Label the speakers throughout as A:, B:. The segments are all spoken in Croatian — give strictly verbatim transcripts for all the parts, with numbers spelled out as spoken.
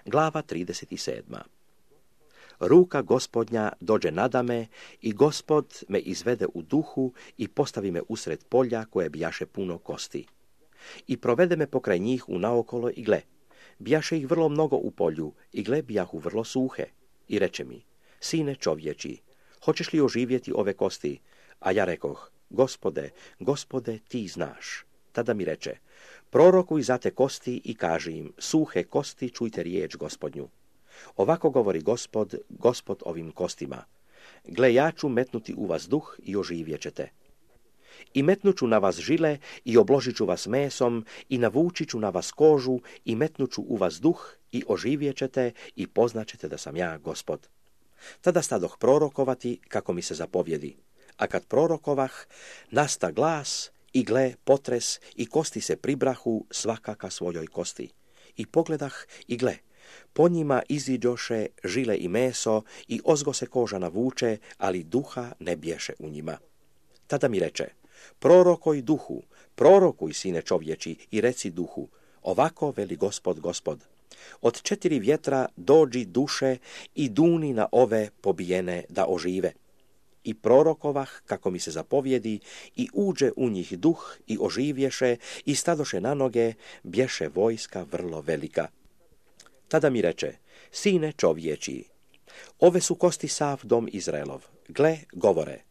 A: Glava trideset sedma. Ruka Gospodnja dođe nadame i Gospod me izvede u duhu i postavi me usred polja koje bijaše puno kosti. I provede me pokraj njih unaokolo i gle, bijaše ih vrlo mnogo u polju i gle bijahu vrlo suhe. I reče mi, sine čovječi, hoćeš li oživjeti ove kosti? A ja rekoh, Gospode, Gospode, ti znaš. Tada mi reče, prorokuj za te kosti i kaži im, suhe kosti, čujte riječ Gospodnju. Ovako govori Gospod, Gospod ovim kostima. Gle, ja ću metnuti u vas duh i oživjet ćete. I metnuću na vas žile i obložit ću vas mesom i navući ću na vas kožu i metnuću u vas duh i oživjet ćete i poznaćete da sam ja Gospod. Tada stadoh prorokovati kako mi se zapovjedi. A kad prorokovah, nasta glas i gle potres i kosti se pribrahu svaka ka svojoj kosti. I pogledah i gle, po njima iziđoše žile i meso i ozgo se koža navuče, ali duha ne bješe u njima. Tada mi reče, prorokoj duhu, prorokuj sine čovječi i reci duhu, ovako veli Gospod, Gospod. Od četiri vjetra dođi duše i duni na ove pobijene da ožive. I prorokovah, kako mi se zapovjedi, i uđe u njih duh i oživješe i stadoše na noge, bješe vojska vrlo velika. Tada mi reče, sine čovječi, ove su kosti sav dom Izraelov. Gle, govore,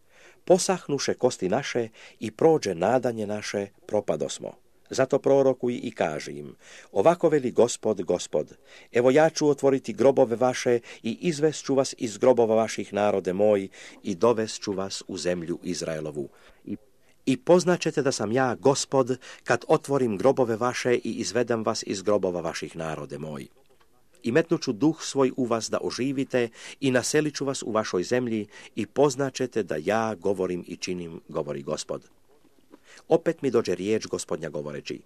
A: posahnuše kosti naše i prođe nadanje naše, propadosmo. Zato prorokuj i kaži im, ovako veli Gospod, Gospod, evo ja ću otvoriti grobove vaše i izvest ću vas iz grobova vaših, narode moj, i dovest ću vas u zemlju Izraelovu. I, i poznaćete da sam ja Gospod, kad otvorim grobove vaše i izvedem vas iz grobova vaših, narode moj. I metnuću duh svoj u vas da oživite i naselit ću vas u vašoj zemlji i poznaćete da ja govorim i činim, govori Gospod. Opet mi dođe riječ Gospodnja govoreći,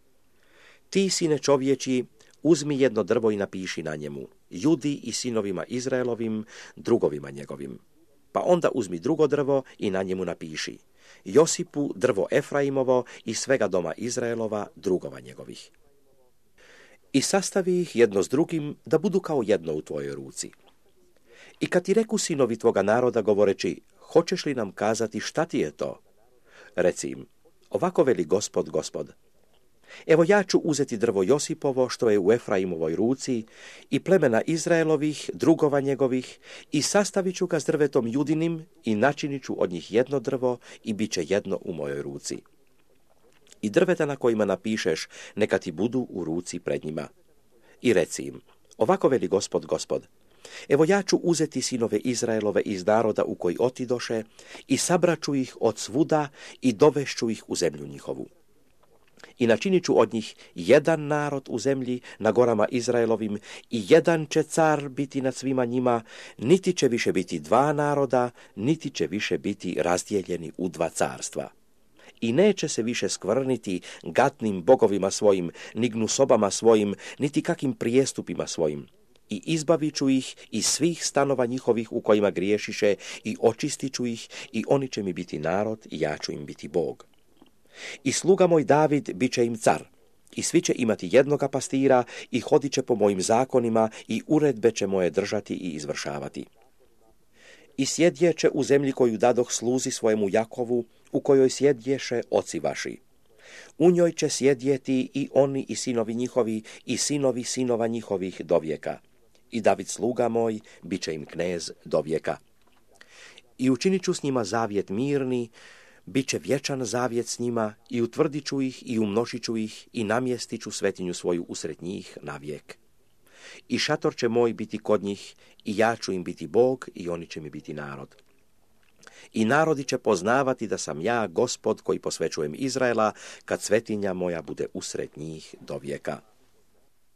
A: ti sine čovječi, uzmi jedno drvo i napiši na njemu, Judi i sinovima Izraelovim, drugovima njegovim. Pa onda uzmi drugo drvo i na njemu napiši, Josipu drvo Efraimovo i svega doma Izraelova, drugova njegovih. I sastavi ih jedno s drugim da budu kao jedno u tvojoj ruci. I kad ti reku sinovi tvoga naroda govoreći, hoćeš li nam kazati šta ti je to? Reci im, ovako veli Gospod, Gospod. Evo ja ću uzeti drvo Josipovo što je u Efraimovoj ruci i plemena Izraelovih, drugova njegovih i sastavit ću ga s drvetom Judinim i načinit ću od njih jedno drvo i bit će jedno u mojoj ruci. I drveta na kojima napišeš neka ti budu u ruci pred njima. I reci im, ovako veli Gospod, Gospod. Evo ja ću uzeti sinove Izraelove iz naroda u koji otidoše i sabraću ih od svuda i dovešću ih u zemlju njihovu. I načinit ću od njih jedan narod u zemlji na gorama Izraelovim i jedan će car biti nad svima njima, niti će više biti dva naroda, niti će više biti razdijeljeni u dva carstva. I neće se više skvrniti gatnim bogovima svojim, ni gnusobama svojim, niti kakim prijestupima svojim. I izbavit ću ih iz svih stanova njihovih u kojima griješiše i očistit ću ih i oni će mi biti narod i ja ću im biti Bog. I sluga moj David bit će im car i svi će imati jednoga pastira i hodit će po mojim zakonima i uredbe će moje držati i izvršavati. I sjedjeće u zemlji koju dadoh sluzi svojemu Jakovu, u kojoj sjedješe oci vaši. U njoj će sjedjeti i oni i sinovi njihovi i sinovi sinova njihovih do vijeka. I David sluga moj bit će im knez do vijeka. I učinit ću s njima zavjet mirni, bit će vječan zavjet s njima i utvrdit ću ih i umnožit ću ih i namjestit ću svetinju svoju usred njih na vijek. I šator će moj biti kod njih i ja ću im biti Bog i oni će mi biti narod. I narodi će poznavati da sam ja Gospod koji posvećujem Izraela kad svetinja moja bude usred njih do vijeka.